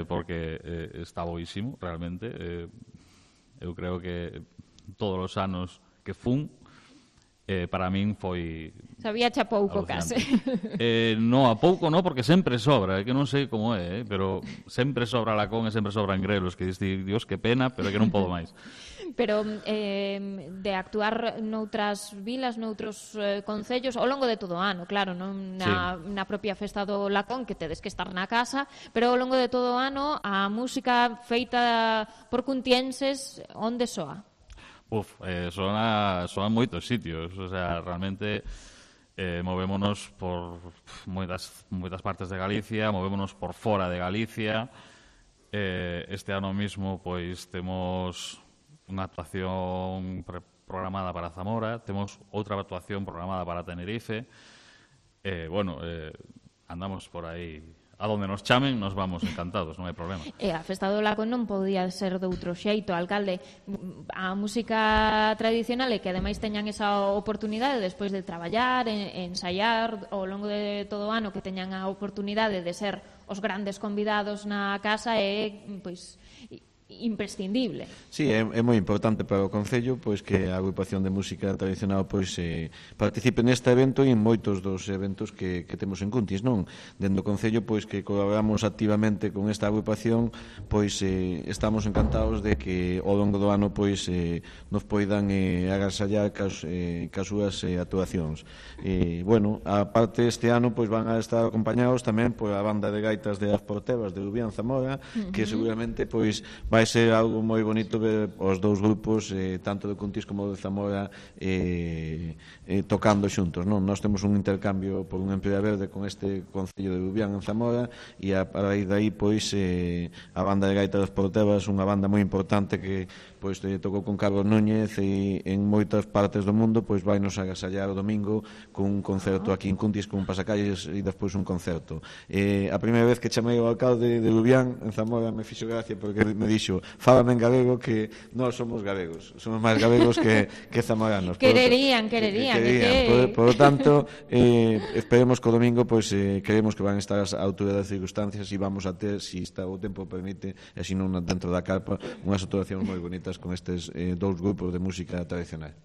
porque está boísimo, realmente. Eu creo que todos os anos que fun, para min foi... Sabía xa pouco, case. No, a pouco non, porque sempre sobra, que non sei como é, pero sempre sobra Lacón e sempre sobran Grelos, que diste, Dios, que pena, pero é que non podo máis. Pero de actuar noutras vilas, noutros concellos, ao longo de todo o ano, claro, non na propia Festa do Lacón, que tedes que estar na casa, pero ao longo de todo o ano, a música feita por cuntienses, onde soa? Soan moitos sitios, o sea, realmente movémonos por moitas partes de Galicia, movémonos por fora de Galicia. Este ano mismo, pois, temos unha actuación programada para Zamora, temos outra actuación programada para Tenerife. Andamos por aí. A donde nos chamen, nos vamos encantados, non hai problema. E a Festa do Lacón non podía ser de outro xeito, alcalde. A música tradicional e que ademais teñan esa oportunidade despois de traballar, ensaiar ao longo de todo o ano, que teñan a oportunidade de ser os grandes convidados na casa, é, pois, imprescindible. Sí, é moi importante para o Concello pois que a Agrupación de Música Tradicional pois participe neste evento e en moitos dos eventos que temos en Cuntis, non? Dende o Concello pois que colaboramos activamente con esta agrupación, pois estamos encantados de que ao longo do ano pois nos poidan agasallar cas súas actuacións. Aparte este ano pois van a estar acompañados tamén por a banda de gaitas de As Portebas de Lubián Zamora, que seguramente pois vai ser algo moi bonito ver os dous grupos, tanto de Cuntis como de Zamora, tocando xuntos, non? Nós temos un intercambio por unha empresa verde con este Concello de Lubián en Zamora, e a raíz de aí, pois, a banda de gaita dos Portebas, unha banda moi importante que pois tocou con Carlos Núñez e en moitas partes do mundo, pois vai nos agasallar o domingo con un concerto aquí en Cuntis, con un pasacalles e despois un concerto. A primeira vez que chamei ao alcalde de Lubián en Zamora me fixo gracia porque me dixo, fálame en galego, que nós somos galegos, somos máis galegos que zamoranos. Quererían. Por lo tanto, esperemos que o domingo pois creemos que van estar as alturas das circunstancias e vamos a ter, se o tempo permite, e se non dentro da carpa, unhas actuacións moi bonitas con estes dous grupos de música tradicional.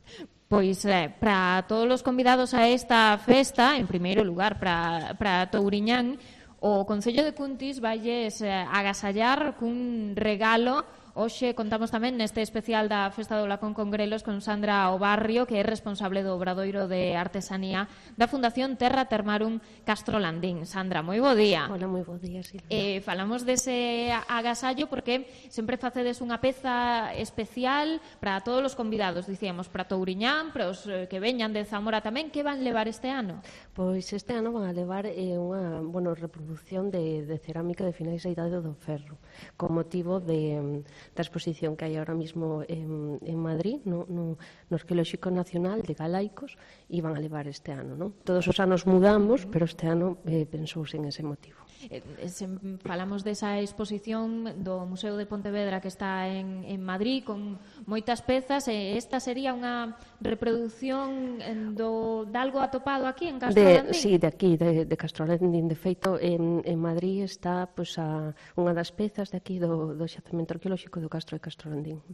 Pois para todos os convidados a esta festa, en primeiro lugar para Touriñán, o Concello de Cuntis valles agasallar cun regalo hoxe contamos tamén neste especial da Festa do Lacón con Grelos con Sandra Obarrio, que é responsable do Obradoiro de Artesanía da Fundación Terra Termarum Castrolandín. Sandra, moi bo día. Hola, moi bo día, Silvia. Falamos dese agasallo porque sempre facedes unha peza especial para todos os convidados, dicíamos, para Touriñán, para os que veñan de Zamora tamén. Que van levar este ano? Pois este ano van a levar unha reproducción de cerámica de finais da Idade do Ferro, con motivo da exposición que hai ahora mismo en Madrid, no Arqueolóxico Nacional de Galaicos, e van a levar este ano, non? Todos os anos mudamos, pero este ano pensouse en ese motivo. Falamos desa exposición do Museo de Pontevedra que está en Madrid con moitas pezas. Esta sería unha reproducción de algo atopado aquí en Castrolandín? Sí, de aquí, de Castrolandín. De feito, en Madrid está unha das pezas de aquí do xacemento arqueolóxico do Castro de Castrolandín.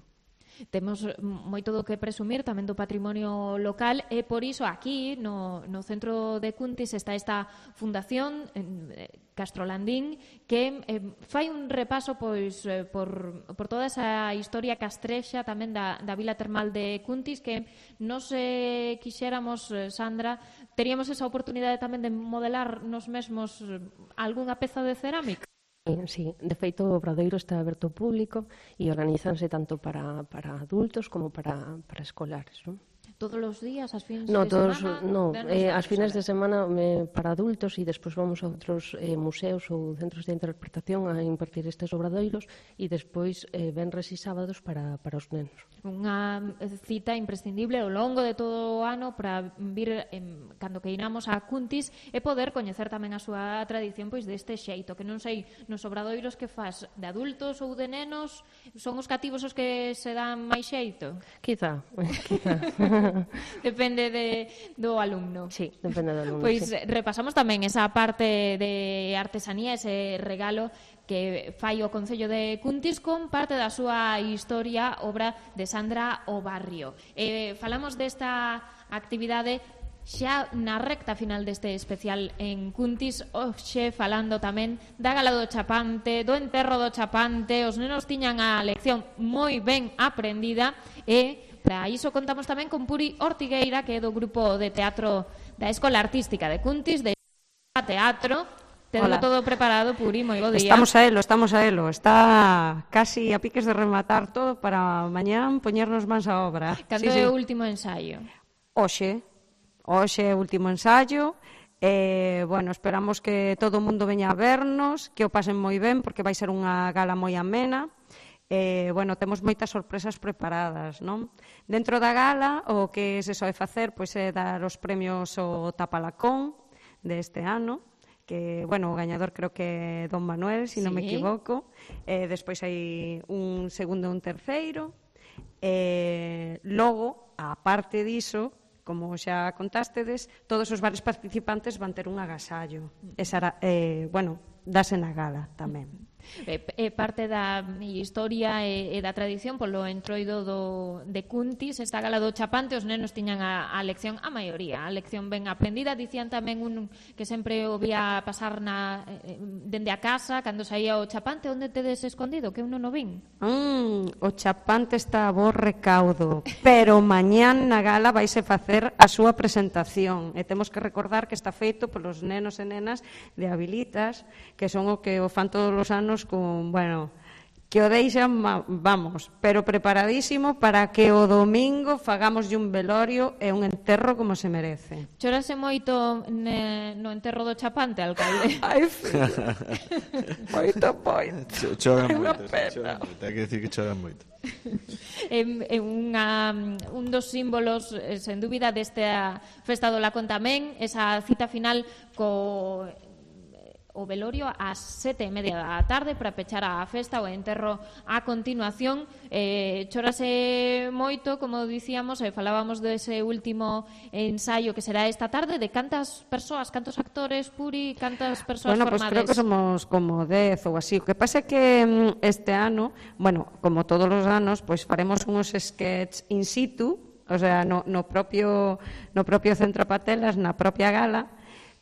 Temos moito do que presumir tamén do patrimonio local e por iso aquí no centro de Cuntis está esta fundación Castrolandín que fai un repaso pois por toda esa historia castrexa tamén da vila termal de Cuntis, que nos quixéramos, Sandra, teríamos esa oportunidade tamén de modelar nos mesmos algunha peza de cerámica. Sí, de feito o Obradoiro está aberto ao público e organizanse tanto para adultos como para escolares, non? Todos os días, as fins de semana? Non, as fines de semana para adultos e despois vamos a outros museos ou centros de interpretación a impartir estes obradoiros e despois venres e sábados para os nenos. Unha cita imprescindible ao longo de todo o ano para vir cando que iramos a Cuntis e poder coñecer tamén a súa tradición pois deste xeito, que non sei nos obradoiros que faz de adultos ou de nenos, son os cativos os que se dan máis xeito? Quizá. Depende do alumno. Sí, depende do alumno. Pois sí. Repasamos tamén esa parte de artesanía, ese regalo que fai o Concello de Cuntis con parte da súa historia, obra de Sandra Obarrio. Falamos desta actividade xa na recta final deste especial en Cuntis, hoxe falando tamén da gala do chapante, do enterro do chapante. Os nenos tiñan a lección moi ben aprendida e para iso contamos tamén con Puri Ortigueira, que é do grupo de teatro da Escola Artística de Cuntis, de teatro. Tedelo todo preparado, Puri, moi bo día. Estamos a elo. Está casi a piques de rematar todo para mañán poñernos mans a obra. Cando é o último ensaio? Hoxe é o último ensaio. Bueno, esperamos que todo o mundo veña a vernos, que o pasen moi ben, porque vai ser unha gala moi amena. Bueno, temos moitas sorpresas preparadas, non? Dentro da gala, o que se soe facer pois é dar os premios ao Tapalacón deste ano, que, bueno, o gañador creo que é Don Manuel, se non me equivoco. Despois hai un segundo e un terceiro. Logo, a parte diso, como xa contástedes, todos os varios participantes van ter un agasallo. Esa, bueno, dase na gala tamén. Parte da historia e da tradición polo entroido de Cuntis, esta gala do chapante, os nenos tiñan a lección, a maioría, a lección ben aprendida. Dicían tamén un que sempre o vía pasar dende a casa, cando saía o chapante. Onde tedes escondido? Que eu non o vin. O chapante está a bo recaudo, pero mañán na gala vaise facer a súa presentación, e temos que recordar que está feito polos nenos e nenas de Habilitas, que son o que o fan todos os anos con, bueno, que o deixan, vamos, pero preparadísimo para que o domingo fagamos un velorio e un enterro como se merece. Chorase moito no enterro do chapante, alcalde? Ai, filho. Moito. Choran moito. Ten que decir que choran moito. É un dos símbolos, sen dúbida, desta Festa do Lacón tamén, esa cita final o velorio ás 7:30 da tarde para pechar a festa, o enterro a continuación. Chórase moito, como dicíamos, falábamos dese último ensaio que será esta tarde. De cantas persoas, cantos actores, Puri, cantas persoas formades? Bueno, creo que somos como 10 ou así. O que pasa é que este ano, bueno, como todos os anos, pois faremos uns sketches in situ, o sea, no propio Centro Patelas, na propia gala.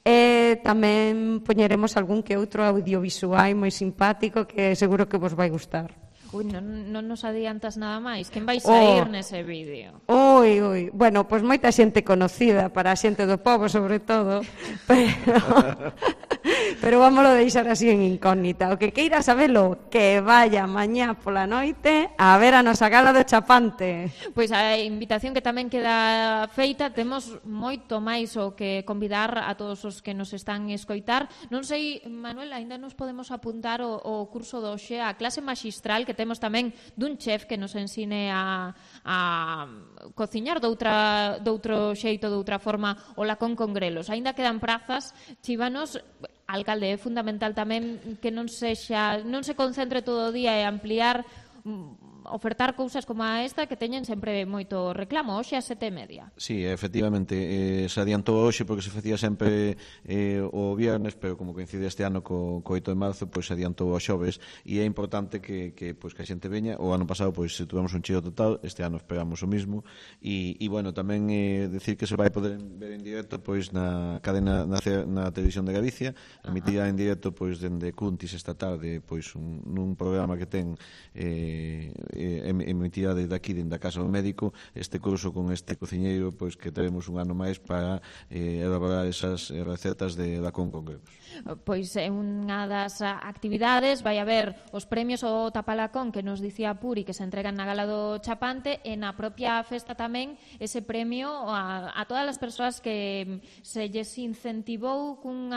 E tamén poñeremos algún que outro audiovisual moi simpático que seguro que vos vai gustar. Ui, non nos adiantas nada máis. Quen vai sair nese vídeo? Ui. Bueno, pois moita xente conocida para a xente do pobo, sobre todo, pero vámoslo deixar así en incógnita. O que queira sabelo, que vaya mañá pola noite a ver a nosa gala do Chapante. Pois a invitación que tamén queda feita, temos moito máis o que convidar a todos os que nos están escoitar. Non sei, Manuel, aínda nos podemos apuntar o curso do hoxe, a clase maxistral que temos tamén dun chef que nos ensine a cociñar doutro xeito, doutra forma, o lacón con grelos. Aínda quedan prazas, chívanos. Alcalde, é fundamental tamén que non se concentre todo o día e ampliar, ofertar cousas como esta que teñen sempre moito reclamo. Hoxe a 7:30. Sí, efectivamente, se adiantou hoxe porque se facía sempre o viernes, pero como coincide este ano co 8 de marzo, pois se adiantou ao xoves, e é importante que a xente veña. O ano pasado pois se tuvemos un cheo total, este ano esperamos o mismo, e bueno, tamén decir que se vai poder ver en directo pois na cadena, na televisión de Galicia, emitirá en directo pois dende Cuntis esta tarde, pois nun programa que ten emitirá desde aquí, dende a Casa do Médico, este curso con este cociñeiro, pois que teremos un ano máis para elaborar esas recetas de lacón con grelos. Pois é unha das actividades, vai haber os premios ao tapalacón que nos dicía Puri que se entregan na gala do Chapante, e na propia festa tamén ese premio a todas as persoas que se lles incentivou cun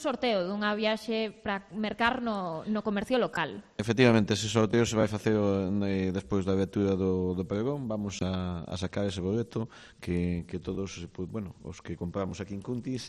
sorteo dunha viaxe para mercar no comercio local. Efectivamente, ese sorteo se vai facer despois da abertura do pregón. Vamos a sacar ese boleto que todos, bueno, os que compramos aquí en Cuntis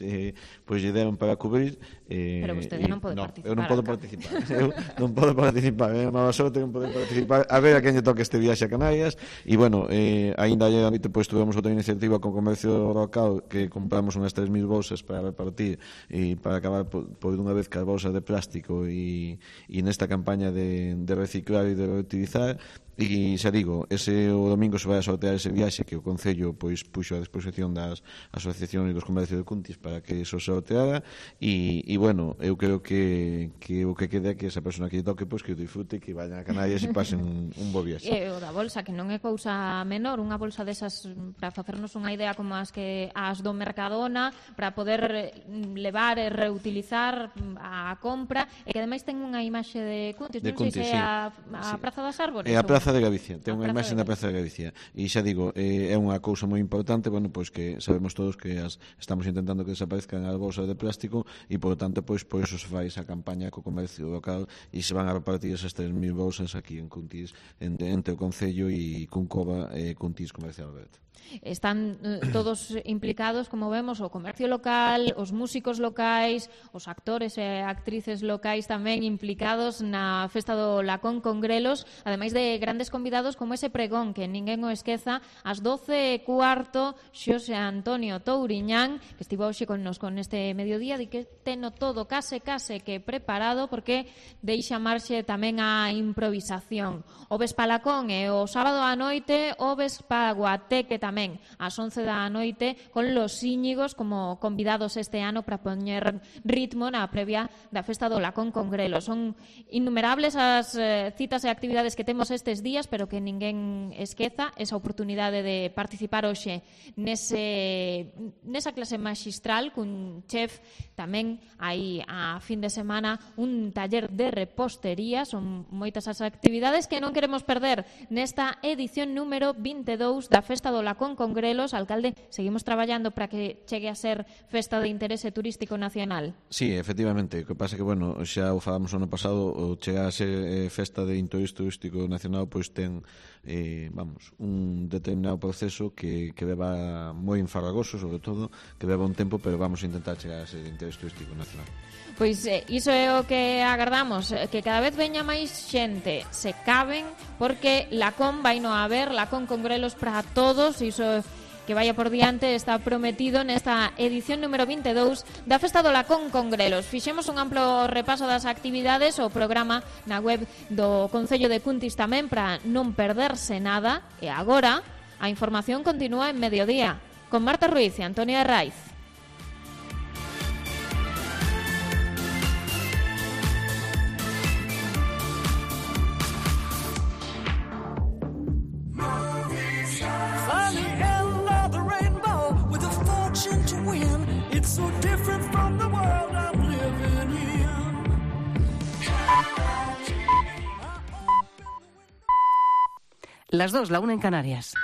pois lle deron para cubrir. Pero vostede non pode participar. Eu non podo participar. Eu non podo participar. É mala sorte non poder participar. A ver a quen lle toque este viaxe a Canarias. E bueno, aínda ayer pois tuvemos outra iniciativa con comercio local que compramos unhas 3.000 bolsas para repartir e para acabar por unha vez que as bolsas de plástico e nesta campaña de reciclar e de reutilizar. E xa digo, o domingo se vai a sortear ese viaxe que o Concello pois puxo a disposición das asociacións e dos comercios de Cuntis para que eso se sorteara. E bueno, eu creo que o que queda é que esa persona que lle toque pois que o disfrute, que vayan a Canarias e pasen un bo viaxe. E o da bolsa, que non é cousa menor, unha bolsa desas para facernos unha idea como as do Mercadona, para poder levar e reutilizar a compra, e que ademais ten unha imaxe de Cuntis, non sei se é a Praza das Árbores. É a Praza de Galicia, ten unha imaxe na Praza de Galicia, e xa digo, é unha cousa moi importante, bueno, pois que sabemos todos que estamos intentando que desaparezcan as bolsas de plástico, e por tanto pois por eso se fai esa campaña co comercio local e se van a repartir esas 3.000 bolsas aquí en Cuntis, entre o Concello e Cuncova e Cuntis Comercial Aberto. Están todos implicados, como vemos, o comercio local, os músicos locais, os actores e actrices locais tamén implicados na festa do lacón con grelos, ademais de grandes convidados como ese pregón que ninguén o esqueza, ás 12:15, Xosé Antonio Touriñán, que estivo hoxe connosco neste mediodía, di que teno todo case que preparado, porque deixa marxe tamén a improvisación. O Vespalacón e o sábado á noite o Vespaguateque tamén ás 11 da noite, con los Íñigos como convidados este ano para poñer ritmo na previa da festa do lacón con grelos. Son innumerables as citas e actividades que temos estes días, pero que ninguén esqueza esa oportunidade de participar hoxe nesa clase magistral cun chef. Tamén hai a fin de semana un taller de repostería. Son moitas as actividades que non queremos perder nesta edición número 22 da festa do lacón con grelos. Alcalde, seguimos traballando para que chegue a ser festa de interese turístico nacional. Sí, efectivamente. O que pasa é que, bueno, xa o falamos o ano pasado, o chegar a ser festa de interese turístico nacional, pois ten un determinado proceso que leva moi enfarragoso, sobre todo, que leva un tempo, pero vamos a intentar chegar a ser de interese turístico nacional. Pois iso é o que agardamos, que cada vez veña máis xente, se caben, porque lacón vai no haber, lacón con grelos para todos, iso que vaya por diante está prometido nesta edición número 22 da Festa do Lacón con Grelos. Fixemos un amplo repaso das actividades, o programa na web do Concello de Cuntis tamén para non perderse nada, e agora a información continúa en Mediodía con Marta Ruiz e Antonia Raiz. Las 2, la 1 en Canarias.